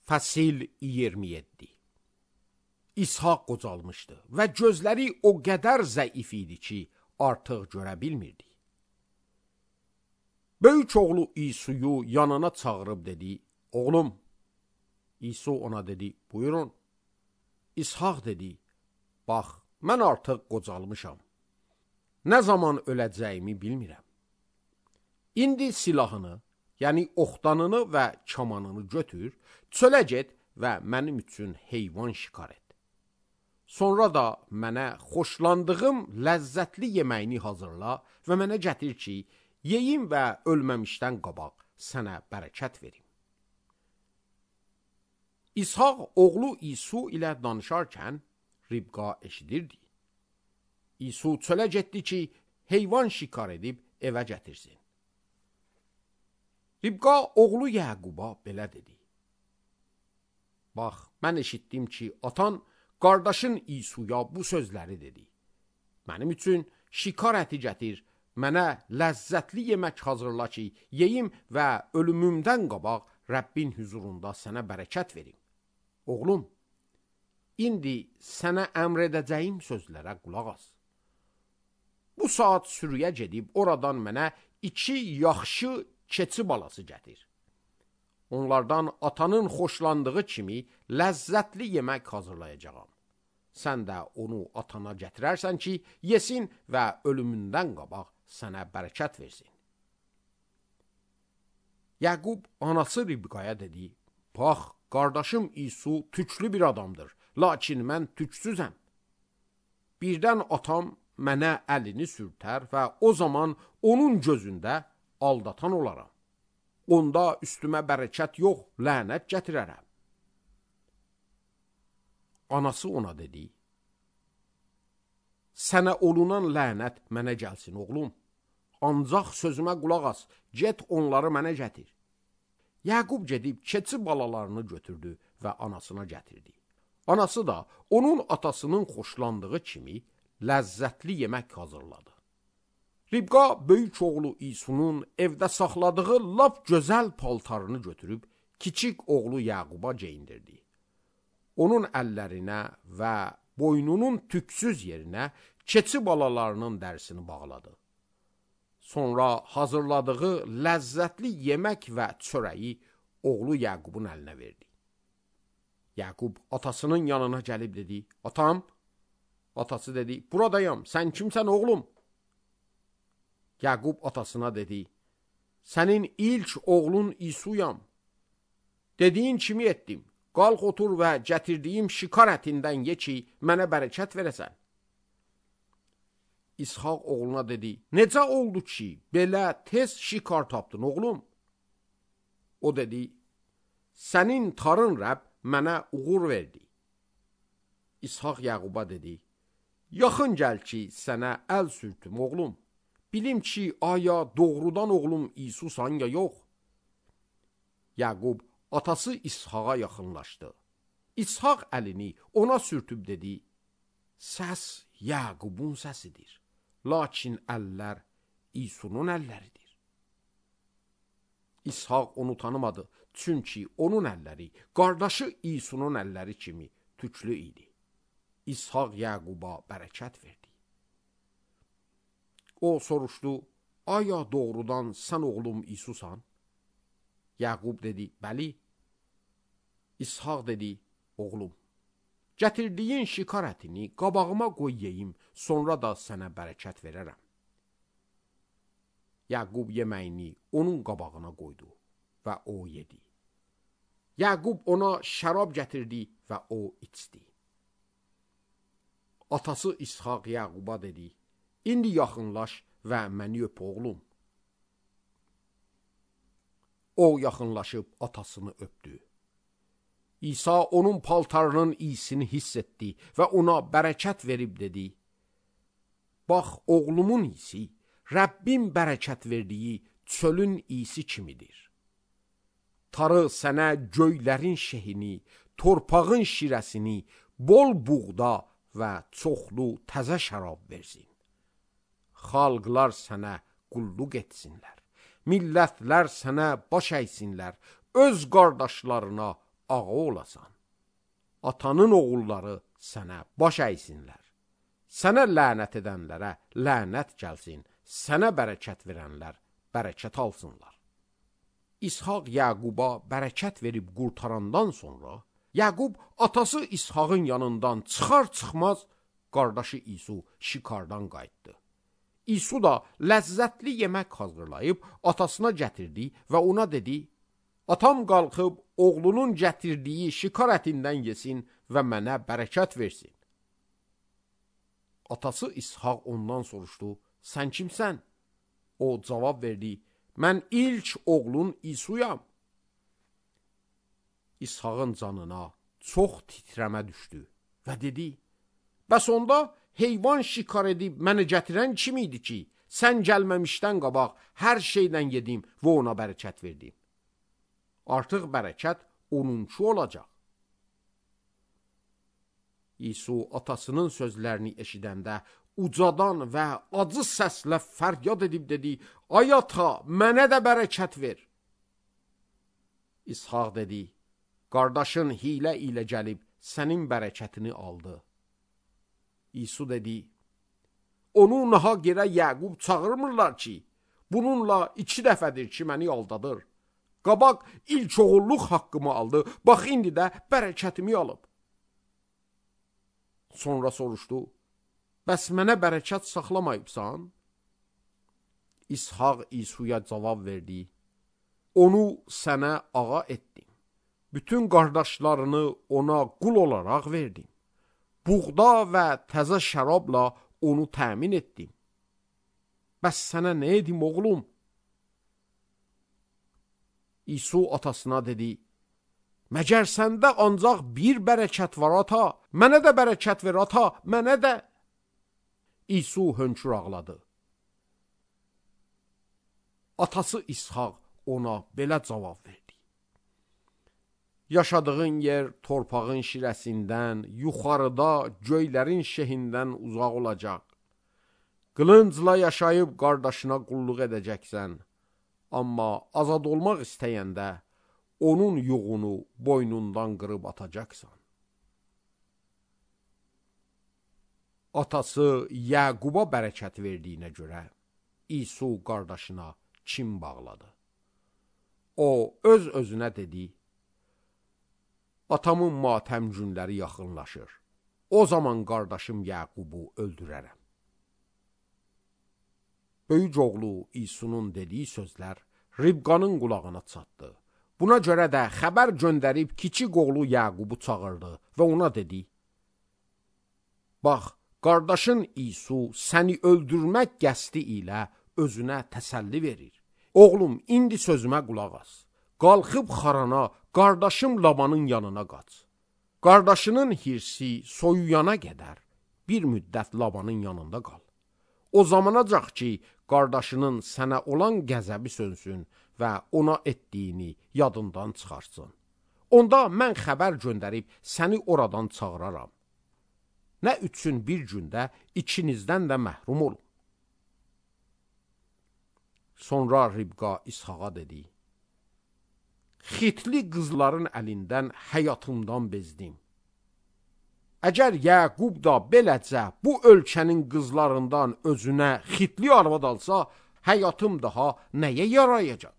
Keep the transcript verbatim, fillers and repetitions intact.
Fəsil iyirmi yeddi. İshak qocalmışdı və gözləri o qədər zəif idi ki, artıq görə bilmirdi. Böyük oğlu İsuyu yanına çağırıb dedi, oğlum. İsu ona dedi, buyurun. İshak dedi, bax, mən artıq qocalmışam. Nə zaman öləcəyimi bilmirəm. İndi silahını, yəni oxtanını və kamanını götür, çölə get və mənim üçün heyvan şikar et. Sonra da mənə xoşlandığım ləzzətli yeməyini hazırla və mənə gətir ki, yeyim və ölməmişdən qabaq sənə bərəkət verim. İshak oğlu İsu ilə danışarkən Ribqa eşidirdi. İsu çölə getdi ki, heyvan şikar edib evə gətirsin. Ribqa oğlu Yəquba belə dedi. Bax, mən eşitdim ki, atan qardaşın İsuya bu sözləri dedi. Mənim üçün şikar əti gətir, mənə ləzzətli yemək hazırla ki, yeyim və ölümümdən qabaq Rəbbin huzurunda sənə bərəkət verim. Oğlum, indi sənə əmr edəcəyim sözlərə qulaq as. Bu saat sürüyə gedib oradan mənə iki yaxşı keçi balası gətir. Onlardan atanın xoşlandığı kimi ləzzətli yemək hazırlayacağam. Sən də onu atana gətirərsən ki, yesin və ölümündən qabaq sənə bərəkət versin. Yaqub anası Ribqaya dedi, bax, qardaşım İsu tüklü bir adamdır, lakin mən tüksüzəm. Birdən atam mənə əlini sürtər və o zaman onun gözündə aldatan olaram. Onda üstümə bərəkət yox, lənət gətirərəm. Anası ona dedi, sənə olunan lənət mənə gəlsin, oğlum. Ancaq sözümə qulaq as, get onları mənə gətir. Yaqub gedib keçi balalarını götürdü və anasına gətirdi. Anası da onun atasının xoşlandığı kimi ləzzətli yemək hazırladı. Ribqa böyük oğlu İsunun evdə saxladığı lap gözəl paltarını götürüb kiçik oğlu Yaquba geyindirdi. Onun əllərinə və boynunun tüksüz yerinə keçi balalarının dərisini bağladı. Sonra hazırladığı ləzzətli yemək və çörəyi oğlu Yaqubun əlinə verdi. Yaqub atasının yanına gəlib dedi, atam. Atası dedi, buradayam, sən kimsən oğlum? Yaqub atasına dedi, sənin ilk oğlun İsuyam. Dediyin kimi etdim, qalx otur və gətirdiyim şikar ətindən ye ki, mənə bərəkət verəsən. İshak oğluna dedi, necə oldu ki, belə tez şikar tapdın oğlum? O dedi, sənin tarın Rəbb mənə uğur verdi. İshak Yaquba dedi, yaxın gəl ki, sənə əl sürtüm oğlum. Bilim ki, aya doğrudan oğlum İsusan ya yox. Yaqub atası İshaka yaxınlaşdı. İshak əlini ona sürtüb dedi, səs Yaqubun səsidir, lakin əllər İsunun əlləridir. İshak onu tanımadı, çünki onun əlləri qardaşı İsunun əlləri kimi tüklü idi. İshak Yaquba bərəkət verdi. O soruşdu, aya doğrudan sən oğlum İsusan? Yaqub dedi, bəli. İshak dedi, oğlum, gətirdiyin şikar ətini qabağıma qoy yeyim, sonra da sənə bərəkət verərəm. Yaqub yeməyini onun qabağına qoydu və o yedi. Yaqub ona şərab gətirdi və o içdi. Atası İshak Yaquba dedi, İndi yaxınlaş və məni öp oğlum. O yaxınlaşıb atasını öpdü. İsa onun paltarının iyisini hiss etdi və ona bərəkət verib dedi, bax oğlumun iyisi, Rəbbin bərəkət verdiyi çölün iyisi kimidir. Tarı sənə göylərin şehini, torpağın şirəsini, bol buğda və çoxlu təzə şərab versin. Xalqlar sənə qulluq etsinlər, millətlər sənə baş əysinlər, öz qardaşlarına ağa olasan. Atanın oğulları sənə baş əysinlər. Sənə lənət edənlərə lənət gəlsin, sənə bərəkət verənlər bərəkət alsınlar. İshaq Yaquba bərəkət verib qurtarandan sonra, Yaqub atası İshaqın yanından çıxar-çıxmaz qardaşı İsu şikardan qayıtdı. İsu da ləzzətli yemək hazırlayıb atasına gətirdi və ona dedi, atam qalxıb oğlunun gətirdiyi şikar ətindən yesin və mənə bərəkət versin. Atası İshaq ondan soruşdu, sən kimsən? O cavab verdi, mən ilk oğlun İsuyam. İshaqın canına çox titrəmə düşdü və dedi, bəs onda heyvan şikar edib mənə gətirən kim idi ki, sən gəlməmişdən qabaq hər şeydən yedim və ona bərəkət verdim. Artıq bərəkət onunki olacaq. İsu atasının sözlərini eşidəndə ucadan və acı səslə fəryad edib dedi, ay ata, mənə də bərəkət ver. İshaq dedi, qardaşın hilə ilə gəlib sənin bərəkətini aldı. İsu dedi, onu nahaq yerə Yaqub çağırmırlar ki, bununla iki dəfədir ki, məni aldadır. Qabaq ilk oğulluq haqqımı aldı, bax indi də bərəkətimi alıb. Sonra soruşdu, bəs mənə bərəkət saxlamayıbsan? İshaq İsuya cavab verdi, onu sənə ağa etdim. Bütün qardaşlarını ona qul olaraq verdim. Buğda və təzə şərabla onu təmin etdim. Bəs sənə nə edim oğlum? İsu atasına dedi, məgər səndə ancaq bir bərəkət var ata, mənə də bərəkət ver ata, mənə də. İsu hönkür ağladı. Atası İshaq ona belə cavab verdi. Yaşadığın yer torpağın şirəsindən, yuxarıda göylərin şehindən uzaq olacaq. Qılıncla yaşayıb qardaşına qulluq edəcəksən. Amma azad olmaq istəyəndə onun yuğunu boynundan qırıb atacaqsan. Atası Yaquba bərəkət verdiyinə görə İsu qardaşına kin bağladı. O öz-özünə dedi, atamın matəm günləri yaxınlaşır. O zaman qardaşım Yaqubu öldürərəm. Böyük oğlu İsunun dediyi sözlər Ribqanın qulağına çatdı. Buna görə də xəbər göndərib kiçik oğlu Yaqubu çağırdı və ona dedi, bax, qardaşın İsu səni öldürmək qəsdi ilə özünə təsəlli verir. Oğlum, indi sözümə qulaq as. Qalxıb Xarana, qardaşım Labanın yanına qaç. Qardaşının hirsi soyuyana qədər bir müddət Labanın yanında qal. O zamanacaq ki, qardaşının sənə olan qəzəbi sönsün və ona etdiyini yadından çıxarsın. Onda mən xəbər göndərib səni oradan çağıraram. Nə üçün bir gündə ikinizdən də məhrum olun. Sonra Ribqa İshaqa dedi, xitli qızların əlindən həyatımdan bezdim. Əgər Yaqub da beləcə bu ölkənin qızlarından özünə xitli arvad alsa, həyatım daha nəyə yarayacaq?